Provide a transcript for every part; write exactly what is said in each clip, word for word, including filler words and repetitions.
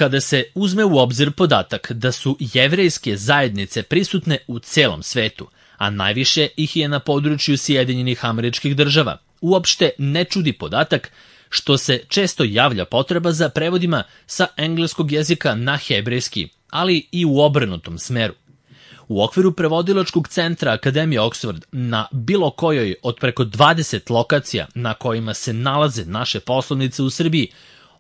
Kada se uzme u obzir podatak da su jevrejske zajednice prisutne u celom svetu, a najviše ih je na području Sjedinjenih Američkih Država, uopšte ne čudi podatak što se često javlja potreba za prevodima sa engleskog jezika na hebrejski, ali i u obrnutom smeru. U okviru prevodilačkog centra Akademije Oxford na bilo kojoj od preko dvadeset lokacija na kojima se nalaze naše poslovnice u Srbiji,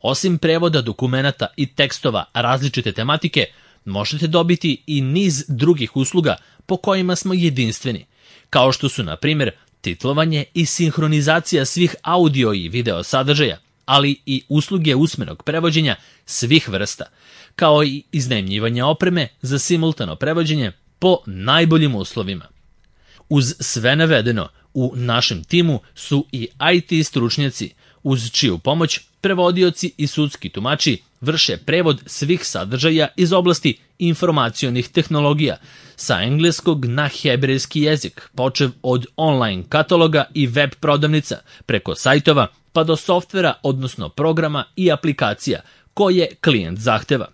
osim prevoda dokumenata i tekstova različite tematike, možete dobiti i niz drugih usluga po kojima smo jedinstveni, kao što su, na primjer, titlovanje i sinhronizacija svih audio i video sadržaja, ali i usluge usmenog prevođenja svih vrsta, kao i iznajmljivanje opreme za simultano prevođenje po najboljim uslovima. Uz sve navedeno, u našem timu su i I T stručnjaci, uz čiju pomoć prevodioci i sudski tumači vrše prevod svih sadržaja iz oblasti informacionih tehnologija sa engleskog na hebrejski jezik, počev od online kataloga i web prodavnica, preko sajtova pa do softvera, odnosno programa i aplikacija koje klijent zahteva.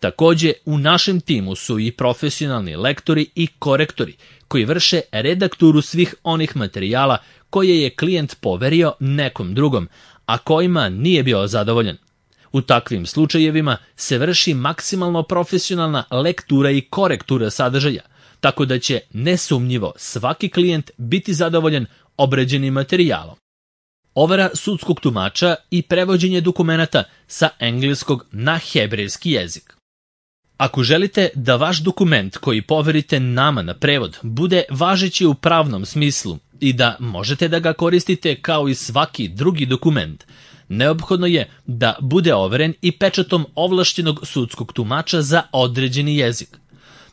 Takođe, u našem timu su i profesionalni lektori i korektori koji vrše redakturu svih onih materijala koje je klijent poverio nekom drugom, a kojima nije bio zadovoljan. U takvim slučajevima se vrši maksimalno profesionalna lektura i korektura sadržaja, tako da će nesumnjivo svaki klijent biti zadovoljan obrađenim materijalom. Overa sudskog tumača i prevođenje dokumenata sa engleskog na hebrejski jezik. Ako želite da vaš dokument koji poverite nama na prevod bude važeći u pravnom smislu i da možete da ga koristite kao i svaki drugi dokument, neophodno je da bude overen i pečatom ovlašćenog sudskog tumača za određeni jezik.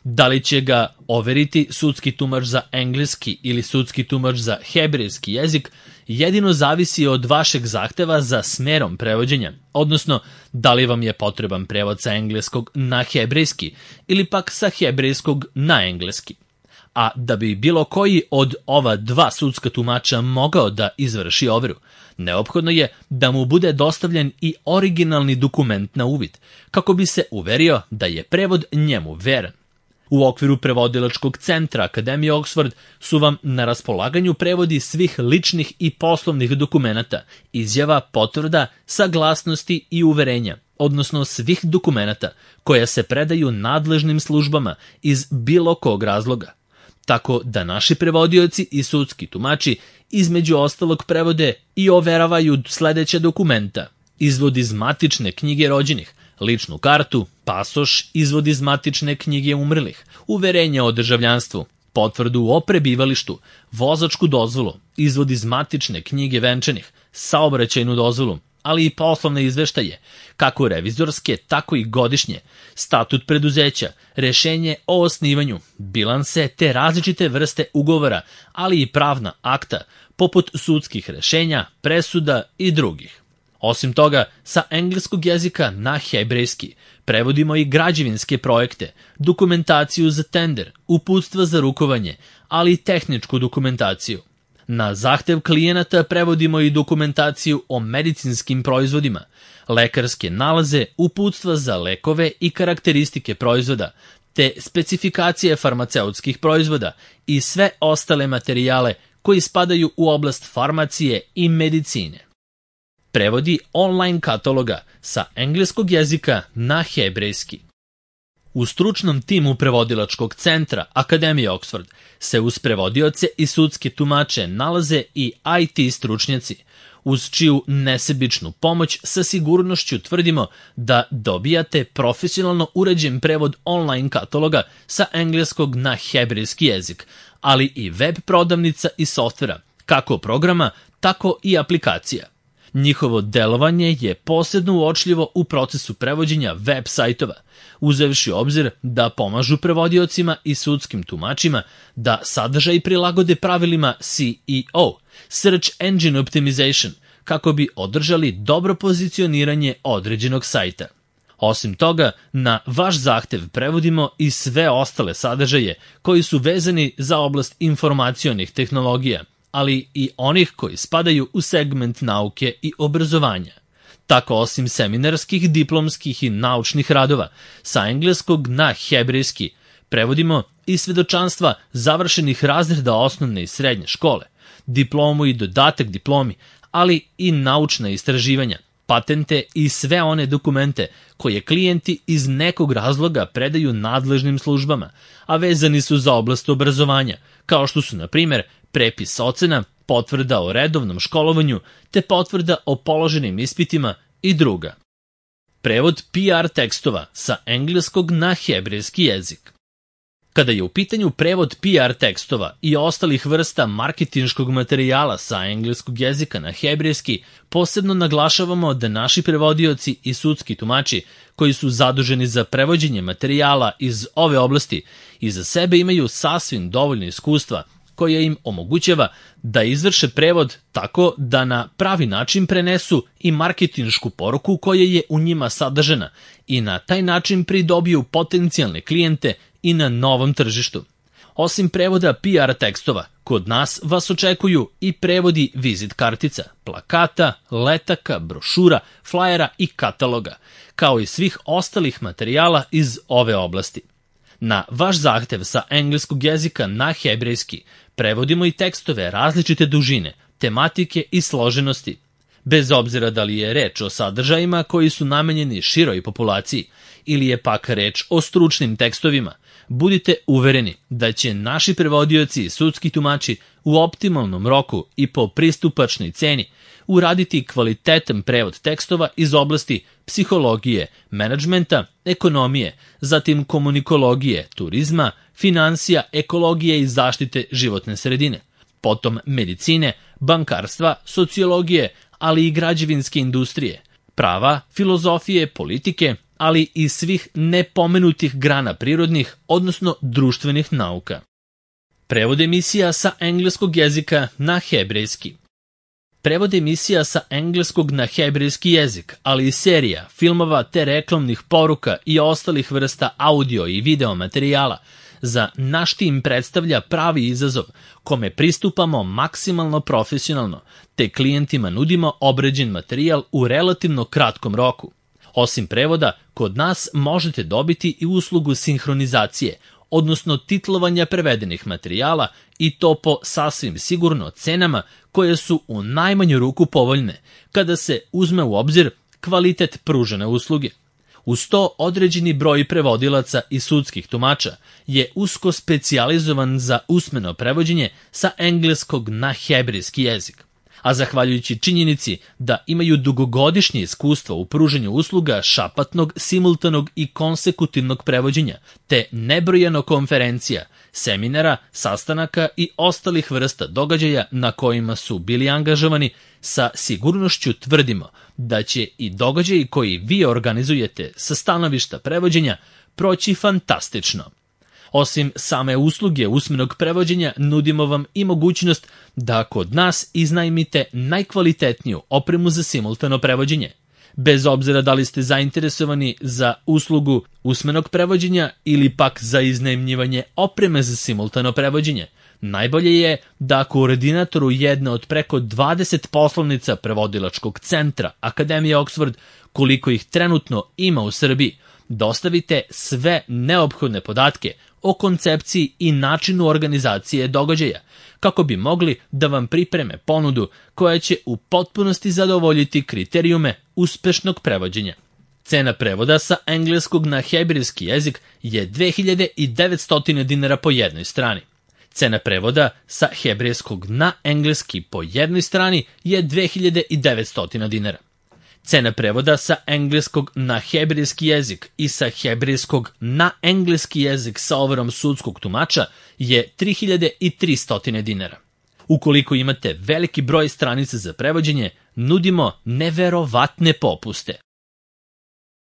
Da li će ga overiti sudski tumač za engleski ili sudski tumač za hebrejski jezik, jedino zavisi od vašeg zahteva za smerom prevođenja, odnosno da li vam je potreban prevod sa engleskog na hebrejski ili pak sa hebrejskog na engleski. A da bi bilo koji od ova dva sudska tumača mogao da izvrši overu, neophodno je da mu bude dostavljen i originalni dokument na uvid, kako bi se uverio da je prevod njemu veran. U okviru prevodilačkog centra Akademije Oxford su vam na raspolaganju prevodi svih ličnih i poslovnih dokumenata, izjava, potvrda, saglasnosti i uverenja, odnosno svih dokumenata koja se predaju nadležnim službama iz bilo kog razloga. Tako da naši prevodioci i sudski tumači između ostalog prevode i overavaju sledeća dokumenta: izvod iz matične knjige rođenih, ličnu kartu, pasoš, izvod iz matične knjige umrlih, uverenje o državljanstvu, potvrdu o prebivalištu, vozačku dozvolu, izvod iz matične knjige venčanih, saobraćajnu dozvolu, ali i poslovne izveštaje, kako revizorske, tako i godišnje, statut preduzeća, rešenje o osnivanju, bilanse te različite vrste ugovora, ali i pravna akta, poput sudskih rešenja, presuda i drugih. Osim toga, sa engleskog jezika na hebrejski prevodimo i građevinske projekte, dokumentaciju za tender, uputstva za rukovanje, ali i tehničku dokumentaciju. Na zahtev klijenata prevodimo i dokumentaciju o medicinskim proizvodima, lekarske nalaze, uputstva za lekove i karakteristike proizvoda, te specifikacije farmaceutskih proizvoda i sve ostale materijale koji spadaju u oblast farmacije i medicine. Prevodi online kataloga sa engleskog jezika na hebrejski. U stručnom timu prevodilačkog centra Akademije Oxford se uz prevodioce i sudske tumače nalaze i I T stručnjaci, uz čiju nesebičnu pomoć sa sigurnošću tvrdimo da dobijate profesionalno uređen prevod online kataloga sa engleskog na hebrejski jezik, ali i web prodavnica i softvera, kako programa, tako i aplikacija. Njihovo delovanje je posebno uočljivo u procesu prevođenja web sajtova, uzevši obzir da pomažu prevodiocima i sudskim tumačima da sadržaj prilagode pravilima S E O, Search Engine Optimization, kako bi održali dobro pozicioniranje određenog sajta. Osim toga, na vaš zahtev prevodimo i sve ostale sadržaje koji su vezani za oblast informacionih tehnologija, ali i onih koji spadaju u segment nauke i obrazovanja. Tako osim seminarskih, diplomskih i naučnih radova, sa engleskog na hebrejski prevodimo i svedočanstva završenih razreda osnovne i srednje škole, diplomu i dodatak diplomi, ali i naučna istraživanja, patente i sve one dokumente koje klijenti iz nekog razloga predaju nadležnim službama, a vezani su za oblast obrazovanja, kao što su, na primjer, prepis ocena, potvrda o redovnom školovanju, te potvrda o položenim ispitima i druga. Prevod P R tekstova sa engleskog na hebrejski jezik. Kada je u pitanju prevod P R tekstova i ostalih vrsta marketinškog materijala sa engleskog jezika na hebrejski, posebno naglašavamo da naši prevodioci i sudski tumači koji su zaduženi za prevođenje materijala iz ove oblasti iza sebe imaju sasvim dovoljno iskustva koje im omogućava da izvrše prevod tako da na pravi način prenesu i marketinšku poruku koja je u njima sadržana i na taj način pridobiju potencijalne klijente i na novom tržištu. Osim prevoda P R tekstova, kod nas vas očekuju i prevodi vizit kartica, plakata, letaka, brošura, flajera i kataloga, kao i svih ostalih materijala iz ove oblasti. Na vaš zahtev sa engleskog jezika na hebrejski prevodimo i tekstove različite dužine, tematike i složenosti. Bez obzira da li je reč o sadržajima koji su namenjeni široj populaciji ili je pak reč o stručnim tekstovima, budite uvereni da će naši prevodioci i sudski tumači u optimalnom roku i po pristupačnoj ceni uraditi kvalitetan prevod tekstova iz oblasti psihologije, menadžmenta, ekonomije, zatim komunikologije, turizma, finansija, ekologije i zaštite životne sredine, potom medicine, bankarstva, sociologije, ali i građevinske industrije, prava, filozofije, politike, ali i svih nepomenutih grana prirodnih, odnosno društvenih nauka. Prevod emisija sa engleskog jezika na hebrejski. Prevod emisija sa engleskog na hebrejski jezik, ali i serija, filmova te reklamnih poruka i ostalih vrsta audio i video materijala za naš tim predstavlja pravi izazov kome pristupamo maksimalno profesionalno, te klijentima nudimo obrađen materijal u relativno kratkom roku. Osim prevoda, kod nas možete dobiti i uslugu sinhronizacije, odnosno titlovanja prevedenih materijala i to po sasvim sigurno cenama koje su u najmanju ruku povoljne, kada se uzme u obzir kvalitet pružene usluge. Uz to određeni broj prevodilaca i sudskih tumača je usko specijalizovan za usmeno prevođenje sa engleskog na hebrejski jezik. A zahvaljujući činjenici da imaju dugogodišnje iskustvo u pruženju usluga šapatnog, simultanog i konsekutivnog prevođenja, te nebrojeno konferencija, seminara, sastanaka i ostalih vrsta događaja na kojima su bili angažovani, sa sigurnošću tvrdimo da će i događaji koji vi organizujete sa stanovišta prevođenja proći fantastično. Osim same usluge usmenog prevođenja, nudimo vam i mogućnost da kod nas iznajmite najkvalitetniju opremu za simultano prevođenje. Bez obzira da li ste zainteresovani za uslugu usmenog prevođenja ili pak za iznajmljivanje opreme za simultano prevođenje, najbolje je da koordinatoru jedne od preko dvadeset poslovnica prevodilačkog centra Akademije Oxford, koliko ih trenutno ima u Srbiji, dostavite sve neophodne podatke o koncepciji i načinu organizacije događaja, kako bi mogli da vam pripreme ponudu koja će u potpunosti zadovoljiti kriterijume uspešnog prevođenja. Cena prevoda sa engleskog na hebrejski jezik je dve hiljade devetsto dinara po jednoj strani. Cena prevoda sa hebrejskog na engleski po jednoj strani je dve hiljade devetsto dinara. Cena prevoda sa engleskog na hebrejski jezik i sa hebrejskog na engleski jezik sa overom sudskog tumača je tri hiljade tristo dinara. Ukoliko imate veliki broj stranica za prevođenje, nudimo neverovatne popuste.